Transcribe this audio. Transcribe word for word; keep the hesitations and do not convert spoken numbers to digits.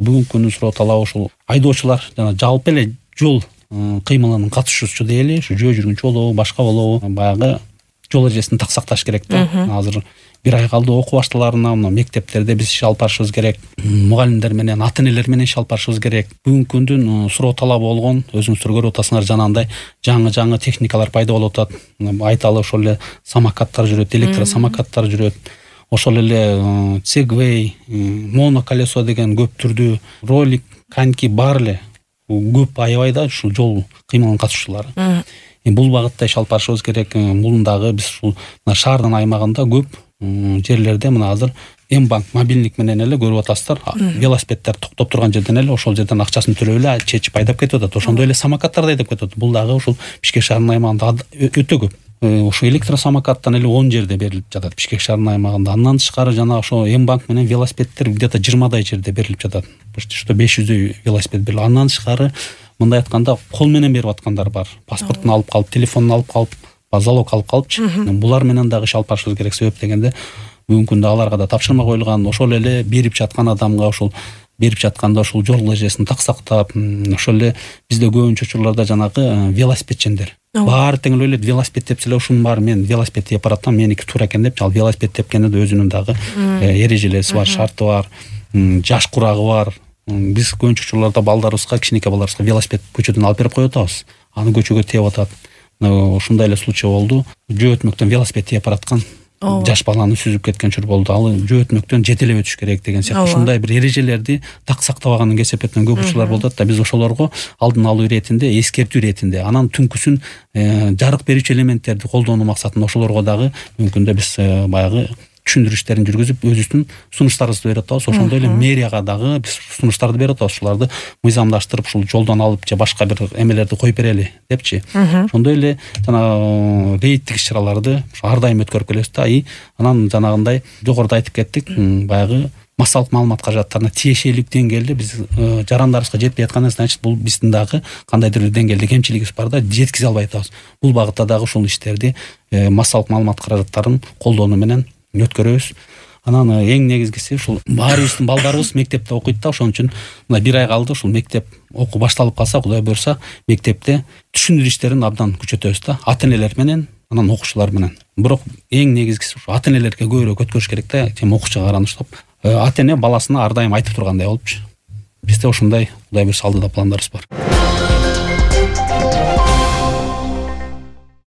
бүгүнкү күндүн суроо талабы ушул айдоочулар жана жалпы эле жол кыймылынын катышуучусу дейли, ушу жөө жүргүнчү болобу, башка болобу, баягы жол эрежесин так сакташ керек да. Азыр бир ай калды окуу башталарына, мына мектептерде биз иш алып барышыбыз керек. Мугалимдер менен, ата-энелер менен иш алып барышыбыз керек. Бүгүнкү күндүн суроо талабы болгон, өзүңүздөр көрүп атасыңар, жанагындай жаңы-жаңы техникалар пайда болуп атат. Айталы ошол эле самокаттар жүрөт, электросамокаттар жүрөт. Ошол эле сегвей, моноколесо деген көп түрдүү, ролик, коньки бар эле. Көп аябай да ушул жол кыймылынын катышуучулары. Бул багытта иш алып барышыбыз керек. Бул дагы биз ушул шаардын аймагында көп жерлерде мына азыр М-банк мобилдик менен эле көрүп атасыздар. Велосипеддер токтоп турган жерден эле ошол жерден акчасын төлөп эле чечип айдап кетип атат. Ошондой эле самокаттар да айдап кетип атат. Бул дагы ушул Бишкек шаарынын аймагында өтө көп. Ошо электросамокаттан эле он жерде берилип жатат Бишкек шаарынын аймагында. Андан тышкары жана ошо М-банк менен велосипеддер где-то жыйырмадай жерде берилип жатат. Почти что беш жүздөй велосипед берилет. Андан тышкары мындай айтканда кол менен берип аткандар бар. Паспортун алып калып, телефонун алып калып, залог алып калыпчы. Булар менен дагы иш алып барышыбыз керек. Себеп дегенде бүгүнкү күндө аларга да тапшырма коюлган. Ошол эле берип жаткан адамга ошол берип жатканда ошол жол эрежесин так сактап, ошол эле бизде көбүнчө учурларда жанагы велосипедчендер баары тең эле ойлойт, велосипед тепселе ушунун баары мен велосипед теп баратам, меники туура экен деп, ал велосипед тепкенде да өзүнүн дагы эрежелеси бар, шарты бар, жаш курагы бар. Биз көбүнчө учурларда балдарыбызга, кичинекей балдарыбызга велосипед көчөдөн алып берип коюп атабыз. Аны көчөгө теп атат. Ушундай эле случай болду. Жөө өтмөктөн велосипед теп бараткан жаш баланы сүзүп кеткен чур болду. Ал жөө өтмөктөн жетелеп өтүш керек деген сыяктуу ушундай бир эрежелерди так сактабаганын кесепетинен көп учурлар болуп атат да. Биз ошолорго алдын алуу иретинде, эскертүү иретинде, анан түнкүсүн жарык берүүчү элементтерди колдонуу максатында ошолорго дагы мүмкүндө биз баягы түшүндүрүштерин жүргүзүп өзүбүздүн сунуштарыбызды берип атабыз. Ошондой эле мэрияга дагы биз сунуштарды берип атабыз. Ушуларды мыйзамдаштырып, ушул жолдон алып же башка бир эмелерди коюп берели депчи. Ошондой эле жана рейдтик иш-чараларды ар дайым өткөрүп келебиз да. И анан жанагындай жогоруда айтып кеттик, баягы массалык маалымат каражаттарына тиешелик деңгээлде биз жарандарыбызга жетпей атканы значит бул биздин дагы кандайдыр бир деңгээлде кемчилигибиз бар да, жеткизе албай атабыз. Бул багытта дагы ушул иштерди массалык маалымат каражаттарын колдонуу менен өткөрөбүз. Анан эң негизгиси ушул баарыбыздын балдарыбыз мектепте окуйт да, ошон үчүн мына бир ай калды, ушул мектеп окуу башталып калса, Кудай буйрса, мектепте түшүндүрүү иштерин абдан күчөтөбүз да, ата-энелер менен, анан окуучулар менен. Бирок эң негизгиси ушу ата-энелерге көбүрөөк өткөрүш керек да, чем окуучуга караныштап. Ата-эне баласына ар дайым айтып тургандай болупчу. Бизде ошондой Кудай буйрса алдыда пландарыбыз бар.